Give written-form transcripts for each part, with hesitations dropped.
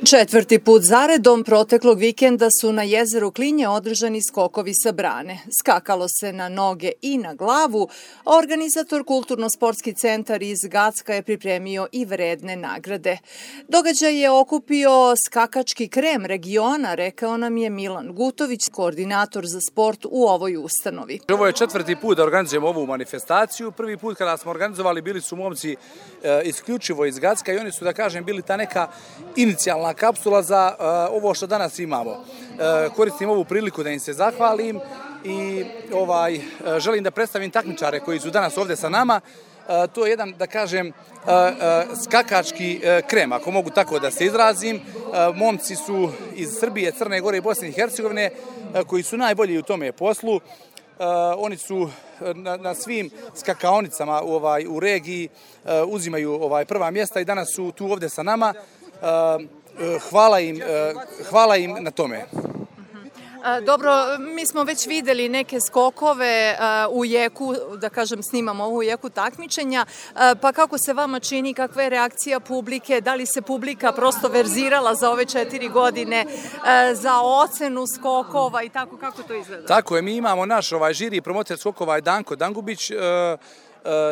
Četvrti put zaredom proteklog vikenda su na jezeru Klinje održani skokovi sa brane. Skakalo se na noge i na glavu, a organizator Kulturno-sportski centar iz Gacka je pripremio i vredne nagrade. Događaj je okupio skakački krem regiona, rekao nam je Milan Gutović, koordinator za sport u ovoj ustanovi. Ovo je četvrti put da organizujemo ovu manifestaciju. Prvi put kada smo organizovali bili su momci isključivo iz Gacka i oni su, da kažem, bili ta neka inicijalna kapsula za ovo što danas imamo. Koristim ovu priliku da im se zahvalim i želim da predstavim takmičare koji su danas ovde sa nama. To je jedan, da kažem, skakački krem, ako mogu tako da se izrazim. Momci su iz Srbije, Crne Gore i Bosne i Hercegovine koji su najbolji u tome poslu. Oni su na svim skakaonicama u regiji uzimaju prva mjesta i danas su tu ovde sa nama. Hvala im na tome. Dobro, mi smo već videli neke skokove u jeku, da kažem, snimamo u jeku takmičenja, pa kako se vama čini, kakva je reakcija publike, da li se publika prosto verzirala za ove 4 godine za ocenu skokova i tako, kako to izgleda? Tako je, mi imamo naš žiri promoter skokova je Danko Dangubić,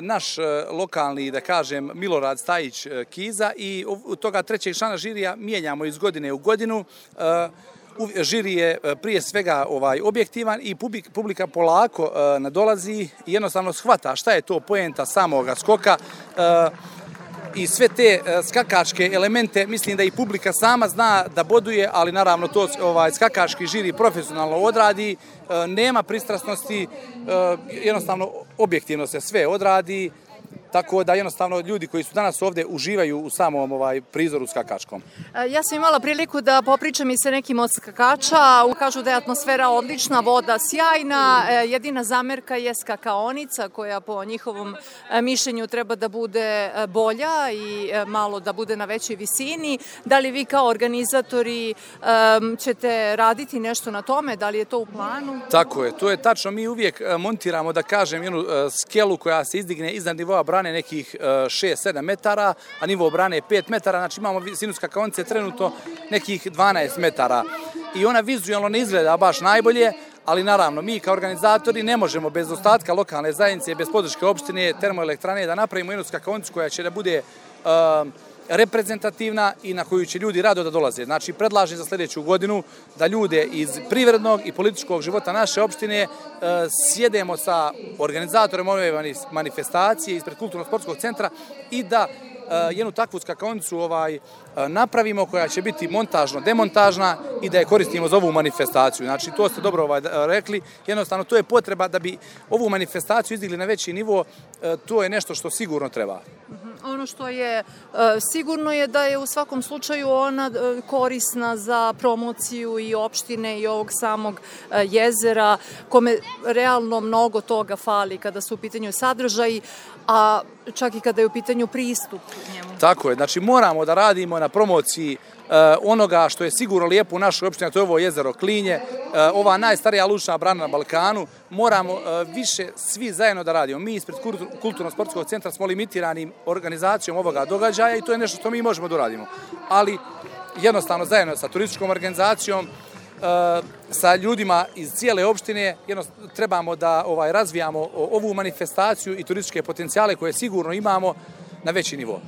naš lokalni, da kažem, Milorad Stajić Kiza i od toga trećeg člana žirija mijenjamo iz godine u godinu. Žiri je prije svega objektivan i publika polako nadolazi i jednostavno shvata šta je to poenta samoga skoka i sve te skakačke elemente. Mislim da i publika sama zna da boduje, ali naravno to skakački žiri profesionalno odradi, nema pristrasnosti, jednostavno objektivno se sve odradi. Tako da jednostavno ljudi koji su danas ovde uživaju u samom prizoru skakačkom. Ja sam imala priliku da popričam i sa nekim od skakača. Kažu da je atmosfera odlična, voda sjajna. Jedina zamerka je skakaonica koja po njihovom mišljenju treba da bude bolja i malo da bude na većoj visini. Da li vi kao organizatori ćete raditi nešto na tome? Da li je to u planu? Tako je, to je tačno. Mi uvijek montiramo, da kažem, jednu skelu koja se izdigne iznad nivoa brane nekih 6-7 metara, a nivo brane je 5 metara, znači imamo visinu skakaonice trenutno nekih 12 metara. I ona vizualno ne izgleda baš najbolje, ali naravno mi kao organizatori ne možemo bez ostatka lokalne zajednice, bez podrške opštine, termoelektrane da napravimo jednu skakaonicu koja će da bude reprezentativna i na koju će ljudi rado da dolaze. Znači, predlažem za sljedeću godinu da ljude iz privrednog i političkog života naše opštine sjedemo sa organizatorima ove manifestacije ispred Kulturno-sportskog centra i da jednu takvu skakaonicu napravimo koja će biti montažno-demontažna i da je koristimo za ovu manifestaciju. Znači, to ste dobro rekli. Jednostavno, to je potreba da bi ovu manifestaciju izdigli na veći nivo. To je nešto što sigurno treba. Ono što je sigurno je da je u svakom slučaju ona korisna za promociju i opštine i ovog samog jezera, kome realno mnogo toga fali kada su u pitanju sadržaji, a čak i kada je u pitanju pristup njemu. Tako je, znači moramo da radimo na promociji onoga što je sigurno lijepo u našoj opštini, to je ovo jezero Klinje, ova najstarija lučna brana na Balkanu. Moramo više svi zajedno da radimo. Mi ispred Kulturno-sportskog centra smo limitirani organizacijom ovoga događaja i to je nešto što mi možemo da uradimo. Ali jednostavno zajedno sa turističkom organizacijom, sa ljudima iz cijele opštine trebamo da razvijamo ovu manifestaciju i turističke potencijale koje sigurno imamo na veći nivo.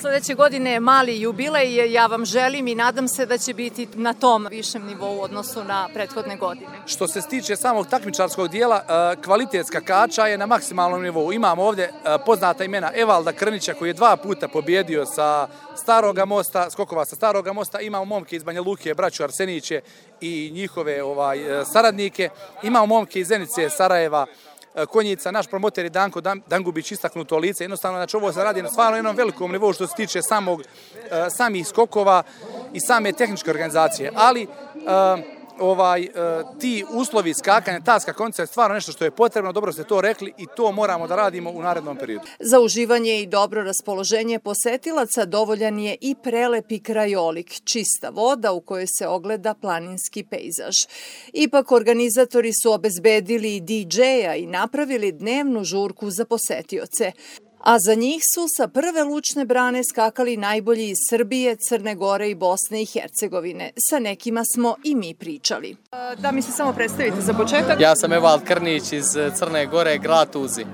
Sljedeće godine je mali jubilej, ja vam želim i nadam se da će biti na tom višem nivou u odnosu na prethodne godine. Što se tiče samog takmičarskog dijela, kvalitet skakača je na maksimalnom nivou. Imamo ovdje poznata imena Evalda Krnića koji je 2 puta pobjedio sa Staroga mosta, skokova sa Staroga mosta. Imamo momke iz Banja Luke, braću Arseniće i njihove saradnike. Imamo momke iz Zenice, Sarajeva, Konjica, naš promoter je Danko Dangubić, istaknuto lice. Jednostavno, znači ovo se radi na stvarno jednom velikom nivou što se tiče samih skokova i same tehničke organizacije. Ali ti uslovi skakanja, ta skakaonica je stvarno nešto što je potrebno, dobro ste to rekli i to moramo da radimo u narednom periodu. Za uživanje i dobro raspoloženje posetilaca dovoljan je i prelepi krajolik, čista voda u kojoj se ogleda planinski pejzaž. Ipak organizatori su obezbedili i DJ-a i napravili dnevnu žurku za posetioce. A za njih su sa prve lučne brane skakali najbolji iz Srbije, Crne Gore i Bosne i Hercegovine. Sa nekima smo i mi pričali. Da mi se samo predstavite za početak. Ja sam Evald Krnić iz Crne Gore, grad Tuzi.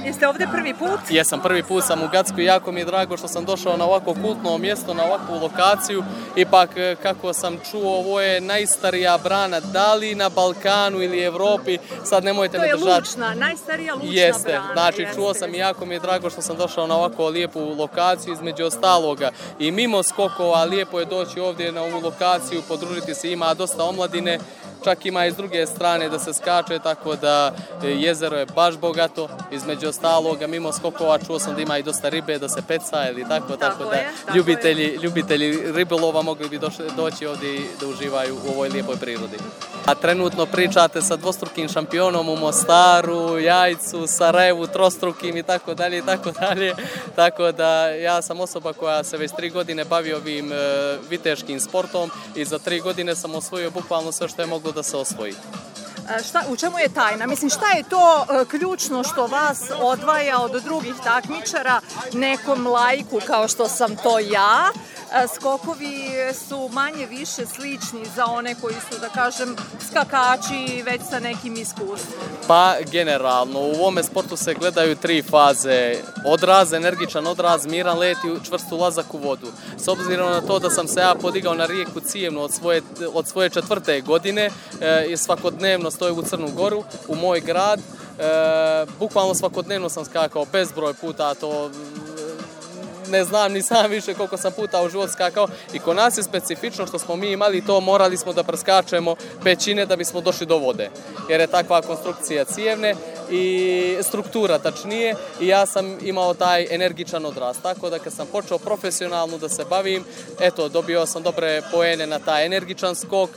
Jeste ovde prvi put? Jesam, prvi put sam u Gacku i jako mi je drago što sam došao na ovako kultno mjesto, na ovakvu lokaciju. Ipak, kako sam čuo, ovo je najstarija brana, da li na Balkanu ili Evropi, sad nemojte me držati. To je lučna, najstarija lučna brana. Jeste, znači čuo sam i jako mi je drago što sam došao na ovako lijepu lokaciju između ostaloga. I mimo skokova, lijepo je doći ovdje na ovu lokaciju, podružiti se, ima dosta omladine. Čak ima i s druge strane da se skače, tako da jezero je baš bogato. Između ostaloga, mimo skokova, čuo sam da ima i dosta ribe, da se peca ili tako da ljubitelji ribolova mogli bi doći ovdje i da uživaju u ovoj lijepoj prirodi. A trenutno pričate sa dvostrukim šampionom u Mostaru, Jajcu, Sarajevu, trostrukim i tako dalje i tako dalje. Tako da ja sam osoba koja se već 3 godine bavi ovim viteškim sportom i za 3 godine sam osvojio bukvalno sve što je moglo da se osvoji. U čemu je tajna? Mislim, šta je to ključno što vas odvaja od drugih takmičara, nekom laiku kao što sam to ja? Skokovi su manje više slični za one koji su, da kažem, skakači već sa nekim iskustvom. Pa, generalno, u ovome sportu se gledaju 3 faze. Odraz, energičan odraz, miran let i čvrst ulazak u vodu. S obzirom na to da sam se ja podigao na rijeku Cijevnu od svoje 4. godine i svakodnevno stojim u Crnu Goru, u moj grad, bukvalno svakodnevno sam skakao bezbroj puta, to ne znam ni sam više koliko sam puta u život skakao i kod nas je specifično što smo mi imali to, morali smo da preskačemo pećine da bismo došli do vode, jer je takva konstrukcija cijevne i struktura tačnije i ja sam imao taj energičan odraz, tako da kad sam počeo profesionalno da se bavim, eto, dobio sam dobre poene na taj energičan skok,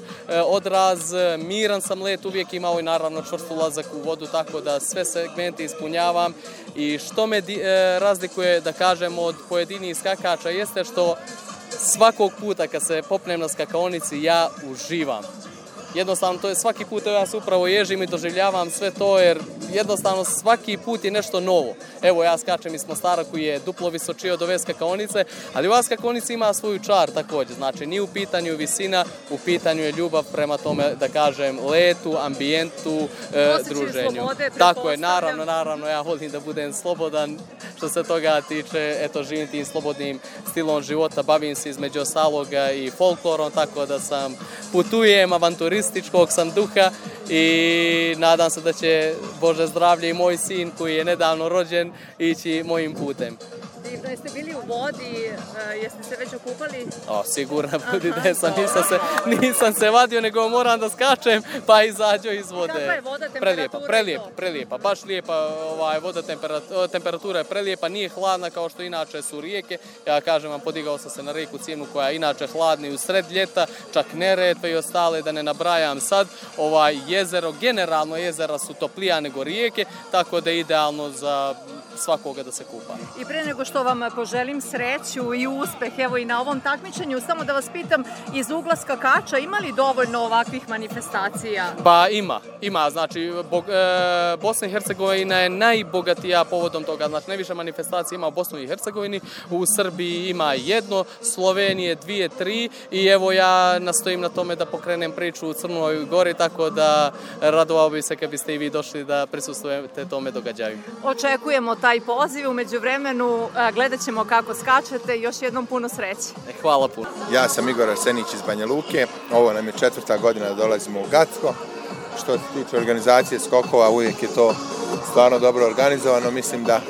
odraz, miran sam let uvijek imao i naravno čvrst ulazak u vodu, tako da sve segmente ispunjavam i što me razlikuje, da kažem, od pojedinih skakača jeste što svakog puta kad se popnem na skakaonici ja uživam. Jednostavno, to je svaki put ja se upravo ježim i doživljavam sve to jer jednostavno svaki put je nešto novo. Evo, ja skačem iz Mostara koji je duplo visočiji od ove skakaonice, ali ova skakaonica ima svoju čar također. Znači, nije u pitanju visina, u pitanju je ljubav prema tome, da kažem, letu, ambijentu, druženju. Slobode, tako je, naravno, ja volim da budem slobodan što se toga tiče, eto, živim tim slobodnim stilom života, bavim se između ostaloga i folklorom, tako da sam putujem, avanturističkog sam duha i nadam se da će, Bože zdravlje, i moj sin koji je nedavno rođen ići mojim putem. Divno, jeste bili u vodi, jeste se već okupali? Sigurno budi da sam, nisam se vadio, nego moram da skačem, pa izađo iz vode. Kakva je voda, temperatura? Prelijepa, baš lijepa voda, temperatura je prelijepa, nije hladna kao što inače su rijeke. Ja kažem vam, podigao sam se na rijeku Cijevnu koja je inače hladna i u sred ljeta, čak Neretve i ostale, da ne nabrajam sad. Jezero, generalno jezera su toplija nego rijeke, tako da je idealno za svakoga da se kupa. I pre nego što vam poželim sreću i uspeh, evo i na ovom takmičenju, samo da vas pitam, iz ugla skakača ima li dovoljno ovakvih manifestacija? Pa ima, znači Bosna i Hercegovina je najbogatija povodom toga, znači najviše manifestacija ima u Bosni i Hercegovini, u Srbiji ima 1, Slovenije 2, 3 i evo ja nastojim na tome da pokrenem priču u Crnoj Gori, tako da radovao bi se kad biste i vi došli da prisustvujete tome događaju. Očekujemo taj poziv, u međuvremenu gledat ćemo kako skačete i još jednom puno sreće. Hvala puno. Ja sam Igor Arsenić iz Banja Luke, ovo nam je 4. godina da dolazimo u Gacko. Što se tiče organizacije skokova, uvijek je to stvarno dobro organizovano, mislim da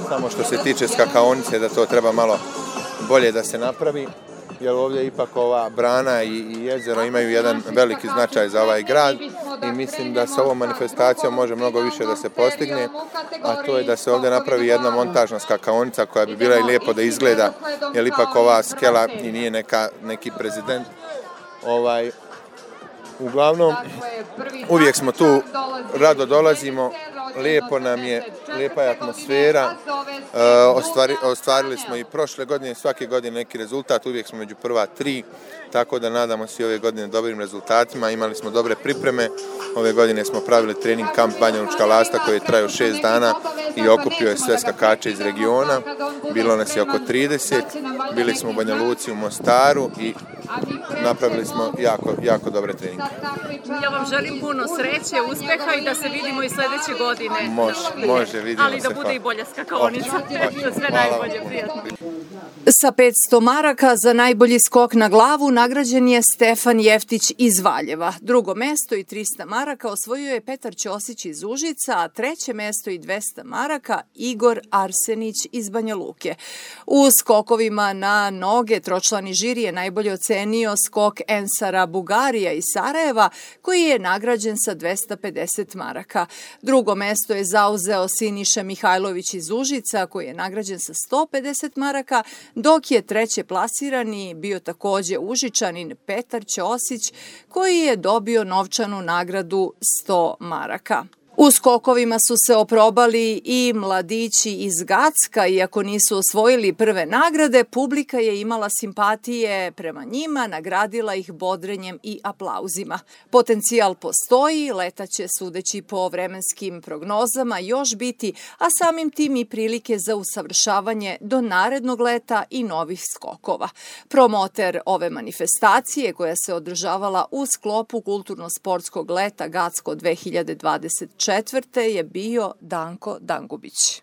samo što se tiče skakaonice da to treba malo bolje da se napravi, jer ovdje ipak ova brana i jezero imaju jedan veliki značaj za ovaj grad i mislim da sa ovom manifestacijom može mnogo više da se postigne, a to je da se ovdje napravi jedna montažna skakaonica koja bi bila i lijepo da izgleda, jer ipak ova skela i nije neki prezident Uglavnom, uvijek smo tu, rado dolazimo, lijepo nam je, lijepa je atmosfera, ostvarili smo i prošle godine, svake godine neki rezultat, uvijek smo među prva 3, tako da nadamo se ove godine dobrim rezultatima, imali smo dobre pripreme, ove godine smo pravili trening kamp Banja Lučka Lasta koji je trajao 6 dana i okupio je sve skakače iz regiona, bilo nas je oko 30, bili smo u Banja Luci, u Mostaru i napravili smo jako dobre treninge. Ja vam želim puno sreće, uspeha i da se vidimo i sljedeće godine. Može, vidimo se. Ali da bude i bolja skakaonica. Sve najbolje, prijatno. Sa 500 maraka za najbolji skok na glavu nagrađen je Stefan Jeftić iz Valjeva. Drugo mesto i 300 maraka osvojio je Petar Ćosić iz Užica, a treće mesto i 200 maraka Igor Arsenić iz Banja Luke. U skokovima na noge tročlani žiri je najbolje ocenio skok Ensara Bugarija iz Sarajeva, koji je nagrađen sa 250 maraka. Drugo mesto je zauzeo Siniša Mihajlović iz Užica, koji je nagrađen sa 150 maraka, dok je treće plasirani bio takođe Užičanin Petar Ćosić, koji je dobio novčanu nagradu 100 maraka. U skokovima su se oprobali i mladići iz Gacka, iako nisu osvojili prve nagrade, publika je imala simpatije prema njima, nagradila ih bodrenjem i aplauzima. Potencijal postoji, leta će sudeći po vremenskim prognozama još biti, a samim tim i prilike za usavršavanje do narednog leta i novih skokova. Promoter ove manifestacije, koja se održavala u sklopu kulturno-sportskog leta Gacko 2024. je bio Danko Dangubić.